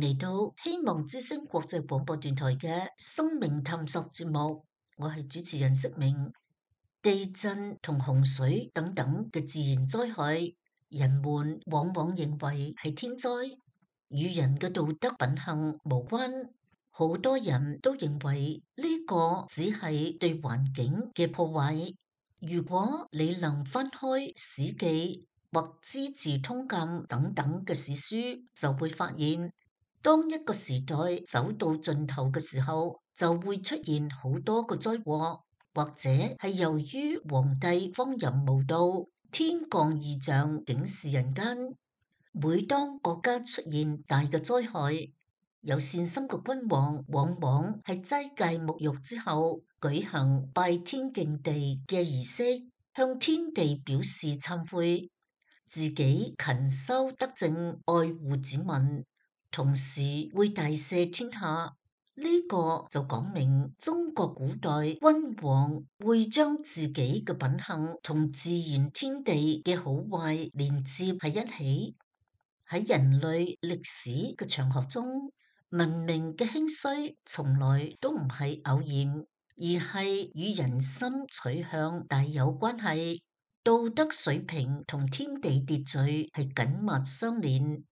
嚟到希望之聲國際廣播電台嘅生命探索節目，我係主持人釋明。地震同洪水等等嘅自然災害，人們往往認為係天災，與人嘅道德品行無關。好多人都認為呢個只係對環境嘅破壞。如果你能翻開史記或資治通鑑等等嘅史書，就會發現，當一個時代走到盡頭嘅時候，就會出現好多個災禍，或者係由於皇帝荒淫無道，天降異象警示人間。每當國家出現大嘅災害，有善心嘅君王往往係齋戒沐浴之後，舉行拜天敬地嘅儀式，向天地表示懺悔，自己勤修德政，愛護子民，同時會大赦天下。呢個就講明中國古代君王會將自己嘅品行同自然天地嘅好壞連接喺一起。喺人類歷史嘅長河中，文明嘅興衰從來都唔係偶然，而係與人心取向大有關係。道德水平同天地秩序係緊密相連。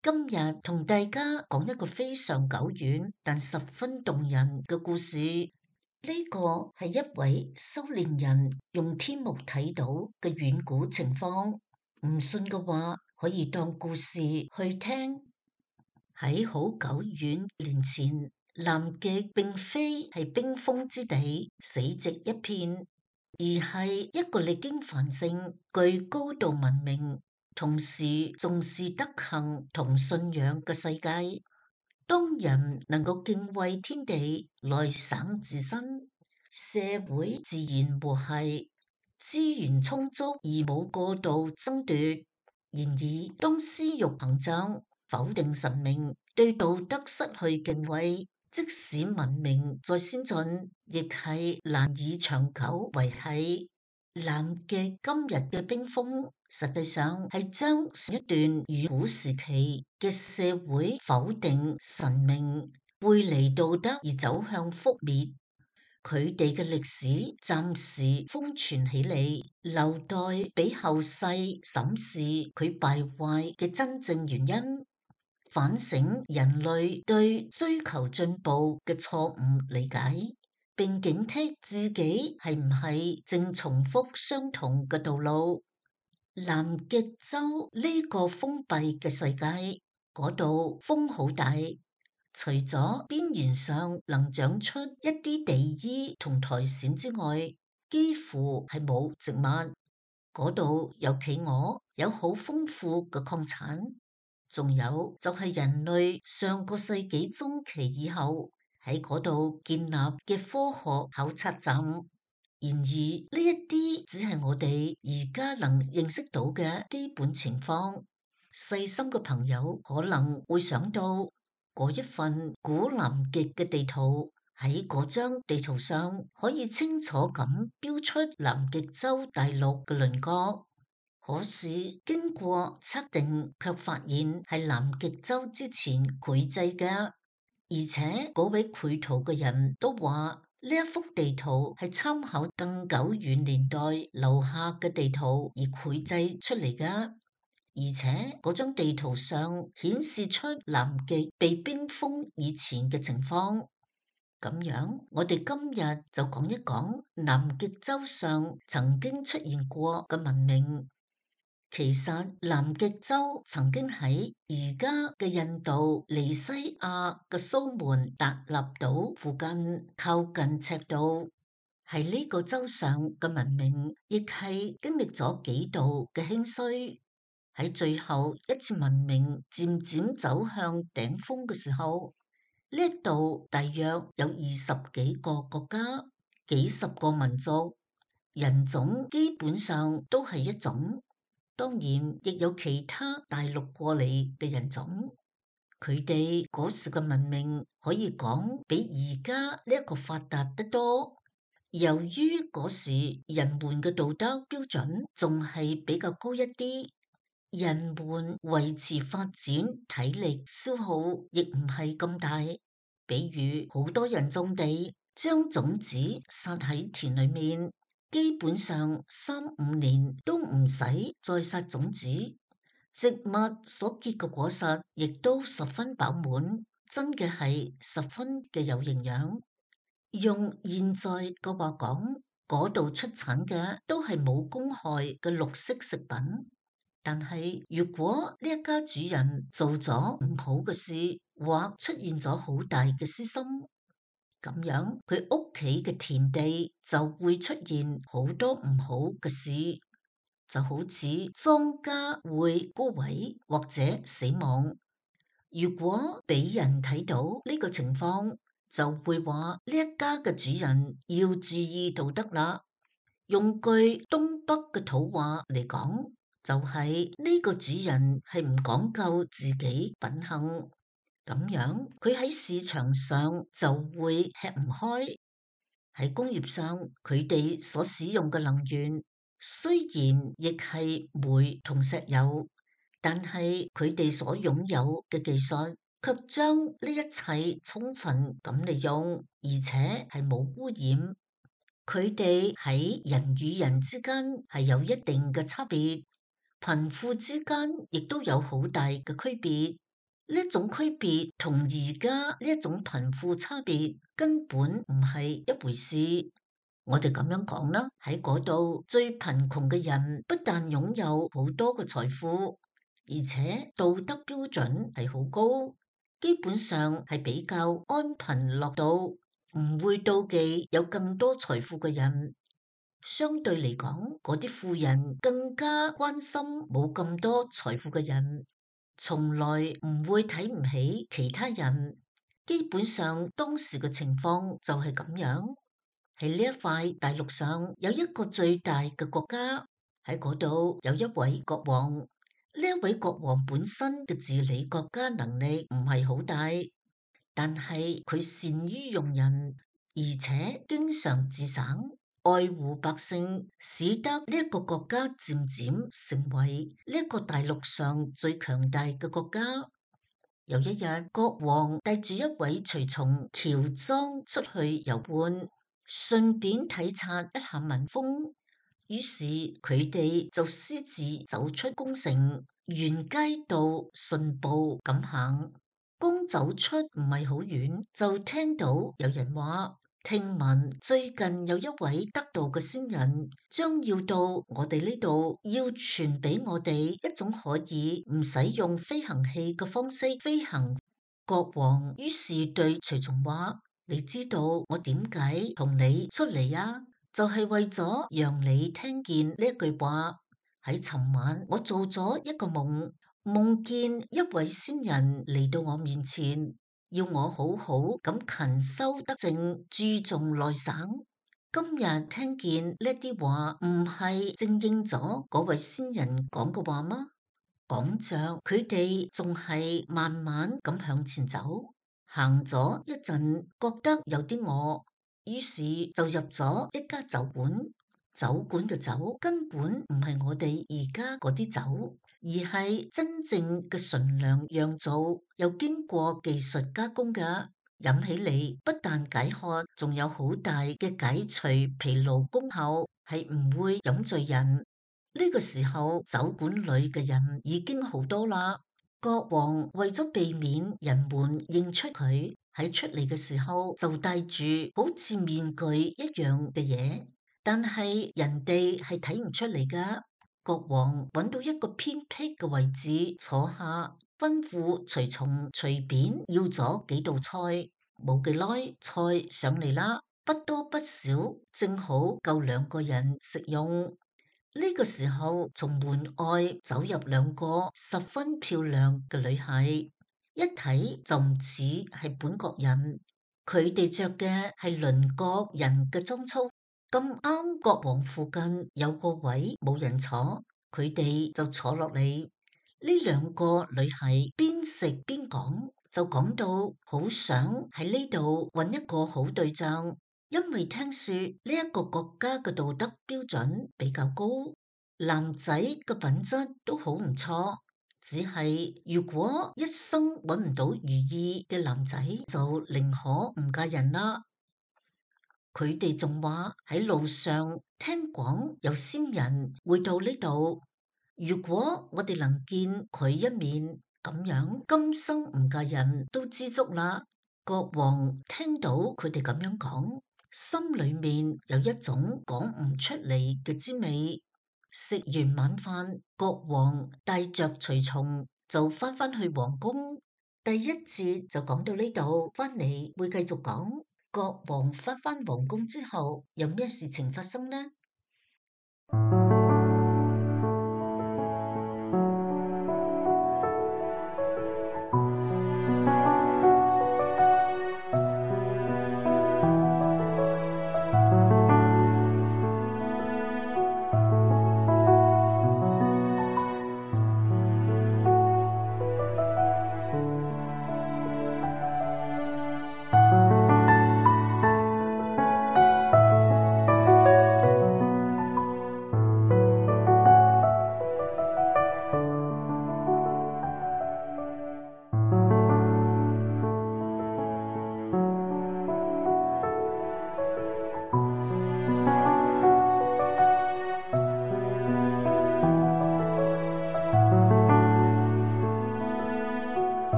今日同大家講一個非常久遠但十分動人嘅故事。呢個係一位修煉人用天目睇到嘅遠古情況，唔信嘅話可以當故事去聽。喺好久遠年前，南極並非係冰封之地，死寂一片，而係一個歷經繁盛、具高度文明，同時重視德行同信仰嘅世界。當人能夠敬畏天地，內省自身，社會自然和諧，資源充足而冇過度爭奪。然而，當私欲膨脹，否定神明，對道德失去敬畏，即使文明再先進，亦係難以長久維繫。南極今日嘅冰封，實際上係將上一段遠古時期嘅社會否定神明、背離道德而走向覆滅。佢哋嘅歷史暫時封存起嚟，留待俾後世審視佢敗壞嘅真正原因，反省人類對追求進步嘅錯誤理解，並警惕自己係唔係正重複相同嘅道路。南極洲呢個封閉嘅世界，嗰度風好大，除咗邊緣上能長出一啲地衣同苔蘚之外，幾乎係冇植物。嗰度有企鵝，有好豐富嘅礦產，仲有就係人類上個世紀中期以後喺嗰度建立嘅科學考察站。然而呢一啲只係我哋而家能認識到嘅基本情況。細心嘅朋友可能會想到嗰一份古南極嘅地圖，喺嗰張地圖上可以清楚咁標出南極洲大陸嘅輪廓。可是經過測定，卻發現係南極洲之前繪製嘅，而且嗰位繪圖嘅人都話呢一幅地圖係參考更久遠年代留下嘅地圖而繪製出嚟嘅，而且嗰張地圖上顯示出南極被冰封以前嘅情況。咁樣，我哋今日就講一講南極洲上曾經出現過嘅文明。其實南極洲曾經喺而家嘅印度尼西亞嘅蘇門答臘島附近，靠近赤道。喺呢個洲上嘅文明，亦係經歷咗幾度嘅興衰。喺最後一次文明漸漸走向頂峰嘅時候，呢一度大約有20幾個國家，幾十個民族，人種基本上都係一種。當然，亦有其他大陸過嚟嘅人種，佢哋嗰時嘅文明可以講比而家呢一個發達得多。由於嗰時人們嘅道德標準仲係比較高一啲，人們維持發展體力消耗亦唔係咁大。比如好多人種地，將種子撒喺田裏面，基本上3-5年都唔使再撒種子，植物所結嘅果實亦都十分飽滿，真嘅係十分嘅有營養。用現在嘅話講，嗰度出產嘅都係冇公害嘅綠色食品。但係如果呢一家主人做咗唔好嘅事，或出現咗好大嘅私心，咁樣佢屋企嘅田地就會出現好多唔好嘅事，就好似莊稼會枯萎或者死亡。如果俾人睇到呢個情況，就會話呢一家嘅主人要注意道德啦。用句東北嘅土話嚟講，就係呢個主人係唔講究自己品行，咁樣佢喺市場上就會吃唔開。喺工業上，佢哋所使用嘅能源雖然亦係煤同石油，但係佢哋所擁有嘅技術卻將呢一切充分咁利用，而且係冇污染。佢哋喺人與人之間係有一定嘅差別，貧富之間亦都有好大嘅區別。呢一種區別同而家呢一種貧富差別根本唔係一回事。我哋咁樣講啦，喺嗰度最貧窮嘅人不但擁有好多嘅財富，而且道德標準係好高，基本上係比較安貧樂道，唔會妒忌有更多財富嘅人。相對嚟講，嗰啲富人更加關心冇咁多財富嘅人，從來唔會睇唔起其他人。基本上當時嘅情況就係咁樣。喺呢一塊大陸上有一個最大嘅國家，喺嗰度有一位國王。呢一位國王本身嘅治理國家能力唔係好大，但係佢善於用人，而且經常自省，愛護百姓，使得呢一個國家漸漸成為呢一個大陸上最強大嘅國家。有一日，國王帶住一位隨從喬裝出去遊玩，順便體察一下民風。於是佢哋就私自走出宮城，沿街道順步咁行。剛走出唔係好遠，就聽到有人話：聽聞最近有一位得道嘅仙人，將要到我哋呢度，要傳俾我哋一種可以唔使用飛行器嘅方式飛行。國王於是對隨從話：你知道我點解同你出嚟啊？就係為咗讓你聽見呢一句話。喺尋晚我做咗一個夢，夢見一位仙人嚟到我面前，要我好好咁勤修德正，注重內省。今日聽見呢啲話，唔係正應咗嗰位仙人講嘅話嗎？講着，佢哋仲係慢慢咁向前走，行咗一陣，覺得有啲餓，於是就入咗一家酒館。酒館嘅酒根本唔係我哋而家嗰啲酒，而係真正嘅純糧釀造，又經過技術加工嘅，飲起嚟不但解渴，仲有好大嘅解除疲勞功效，係唔會飲醉人。呢個時候，酒館裏嘅人已經好多啦。國王為咗避免人們認出佢，喺出嚟嘅時候就戴住好似面具一樣嘅嘢。但係人哋係睇唔出嚟噶。國王揾到一個偏僻嘅位置坐下，吩咐隨從隨便要咗幾道菜。冇幾耐，菜上嚟啦，不多不少，正好夠2個人食用。呢個時候，從門外走入2個十分漂亮嘅女孩，一睇就唔似係本國人。佢哋着嘅係鄰國人嘅裝束。咁啱國王附近有個位冇人坐，佢哋就坐落嚟。呢2個女孩邊食邊講，就講到好想喺呢度揾一個好對象，因為聽說呢一個國家嘅道德標準比較高。男仔嘅品質都好唔錯，只係如果一生揾唔到如意嘅男仔，就寧可唔嫁人啦。佢哋仲話喺路上聽講有仙人會到呢度，如果我哋能見佢一面，咁樣今生唔嫁人都知足啦。國王聽到佢哋咁樣講，心裏面有一種講唔出嚟嘅滋味。食完晚飯，國王帶着隨從就翻去皇宮。第一節就講到呢度，翻嚟會繼續講。國王翻皇宮之後，有咩事情發生呢？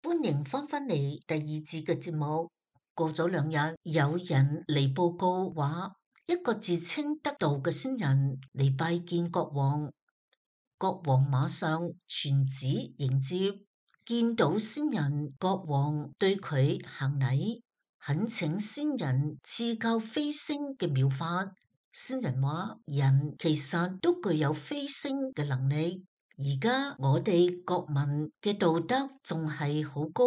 歡迎翻返嚟第二節嘅節目。過咗2日，有人嚟報告話，一個自稱得道嘅仙人嚟拜見國王。國王馬上傳旨迎接，見到仙人，國王對佢行禮，懇請仙人賜教飛升嘅妙法。仙人話：人其實都具有飛升嘅能力。而家我哋國民嘅道德仲係好高，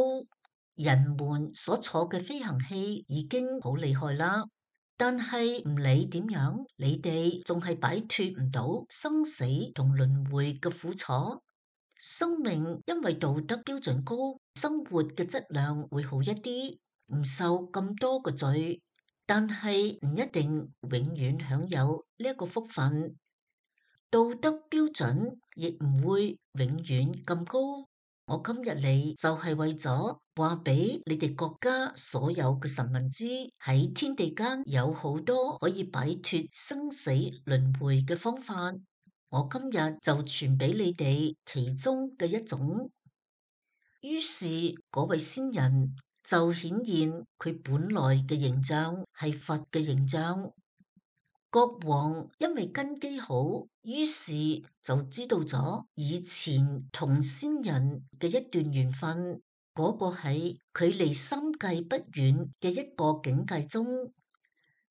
人們所坐嘅飛行器已經好厲害啦。但係唔理點樣，你哋仲係擺脫唔到生死同輪迴嘅苦楚。生命因為道德標準高，生活嘅質量會好一啲，唔受咁多嘅罪。但係唔一定永遠享有呢一個福分。道德標準亦唔會永遠咁高。我今日嚟就係為咗話俾你哋國家所有嘅臣民知，喺天地間有好多可以擺脫生死輪迴嘅方法。我今日就傳俾你哋其中嘅一種。於是嗰位仙人就顯現佢本來嘅形象係佛嘅形象。國王因為根基好，於是就知道咗以前同仙人嘅一段緣分。嗰個喺距離三界不遠嘅一個境界中，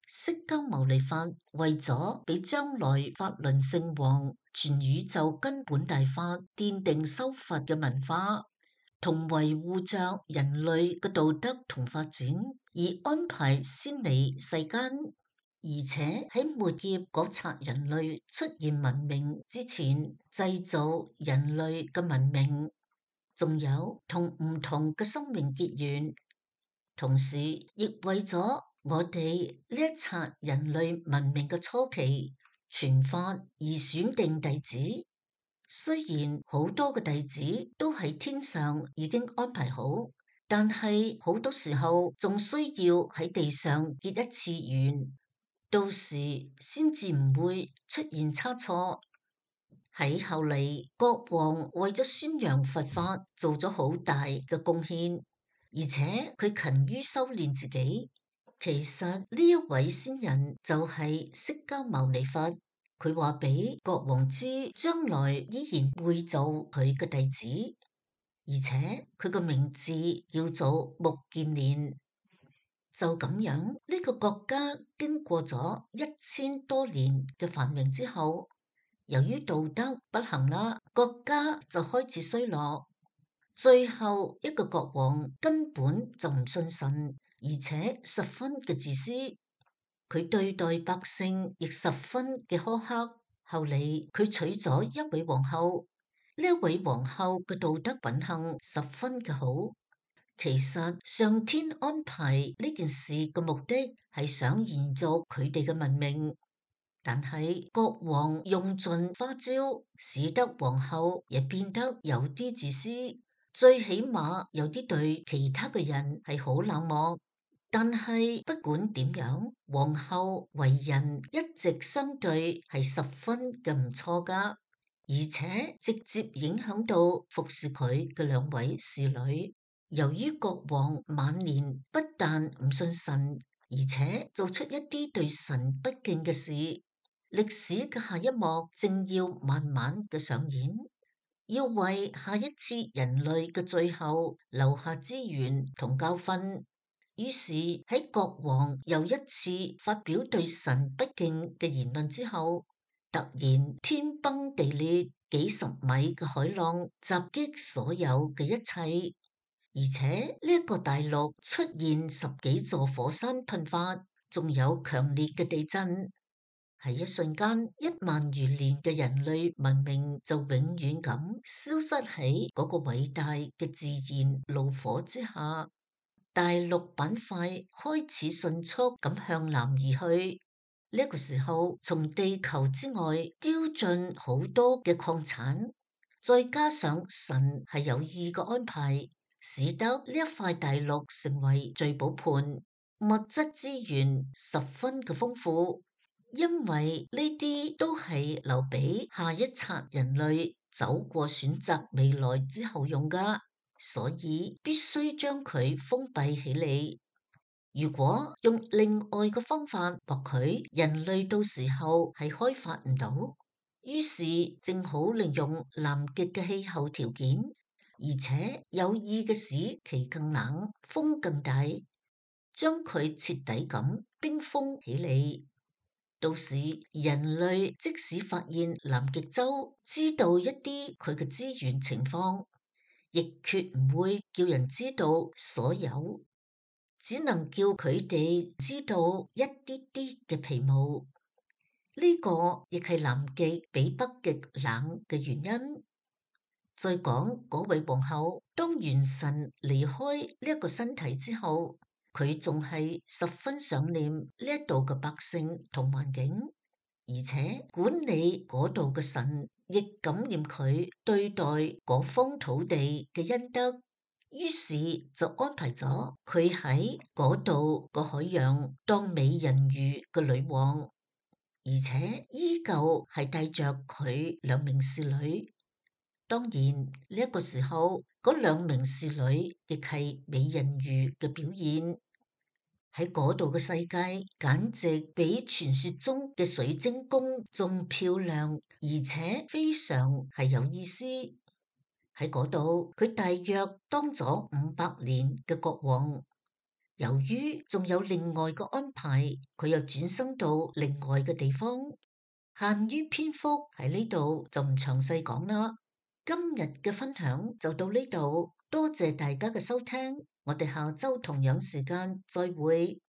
釋迦牟尼佛為咗俾將來法輪聖王全宇宙根本大法奠定修法嘅文化，同維護着人類嘅道德同發展，而安排先嚟世間。而且喺末劫嗰剎人類出現文明之前，製造人類嘅文明，仲有同唔同嘅生命結緣，同時亦為咗我哋呢一剎人類文明嘅初期傳法而選定弟子。雖然好多嘅弟子都喺天上已經安排好，但係好多時候仲需要喺地上結一次緣。到時先至唔會出現差錯。喺後嚟，國王為咗宣揚佛法，做咗好大嘅貢獻，而且佢勤於修煉自己。其實呢一位仙人就係釋迦牟尼佛，佢話俾國王知，將來依然會做佢嘅弟子，而且佢個名字叫做目犍連。就咁樣，呢個國家經過咗1000多年嘅繁榮之後，由於道德不行啦，國家就開始衰落。最後一個國王根本就唔信神，而且十分嘅自私。佢對待百姓亦十分嘅苛刻。後嚟佢娶咗一位皇后，呢一位皇后嘅道德品行十分嘅好。其實上天安排呢件事嘅目的係想延續佢哋嘅文明，但係國王用盡花招，使得皇后也變得有啲自私，最起碼有啲對其他嘅人係好冷漠。但係不管點樣，皇后為人一直相對係十分嘅唔錯㗎，而且直接影響到服侍佢嘅兩位侍女。由於國王晚年不但唔信神，而且做出一啲對神不敬嘅事，歷史嘅下一幕正要慢慢嘅上演，要為下一次人類嘅最後留下資源同教訓。於是喺國王又一次發表對神不敬嘅言論之後，突然天崩地裂，幾十米嘅海浪襲擊所有嘅一切，而且呢一個大陸出現十幾座火山噴發，仲有強烈嘅地震。喺一瞬間，1萬餘年嘅人類文明就永遠咁消失喺嗰個偉大嘅自然怒火之下。大陸板塊開始迅速咁向南移去，呢個時候從地球之外丟進好多嘅礦產，再加上神係有意嘅安排，使得呢一塊大陸成為聚寶盤，物質資源十分嘅豐富，因為呢啲都係留俾下一冊人類走過選擇未來之後用㗎。所以必須將佢封閉起嚟。如果用另外嘅方法，或許人類到時候係開發唔到。於是正好利用南極嘅氣候條件，而且有意嘅使其更冷，風更大，將佢徹底咁冰封起嚟。到時人類即使發現南極洲，知道一啲佢嘅資源情況，亦決唔會叫人知道所有，只能叫佢哋知道一啲啲嘅皮毛。呢個亦係南極比北極冷嘅原因。再講嗰位皇后，當元神離開呢一個身體之後，佢仲係十分想念呢一度嘅百姓同環境，而且管理嗰度嘅神亦感念佢對待嗰方土地嘅恩德，於是就安排咗佢喺嗰度個海洋當美人魚嘅女王，而且依舊係帶着佢2名侍女。當然呢一個時候，嗰2名侍女亦係美人魚嘅表現。喺嗰度嘅世界，簡直比傳說中嘅水晶宮仲漂亮，而且非常係有意思。喺嗰度，佢大約當咗500年嘅國王。由於仲有另外嘅安排，佢又轉生到另外嘅地方。限於篇幅喺呢度就唔詳細講啦。今日嘅分享就到呢度，多謝大家嘅收聽，我哋下周同樣時間再會。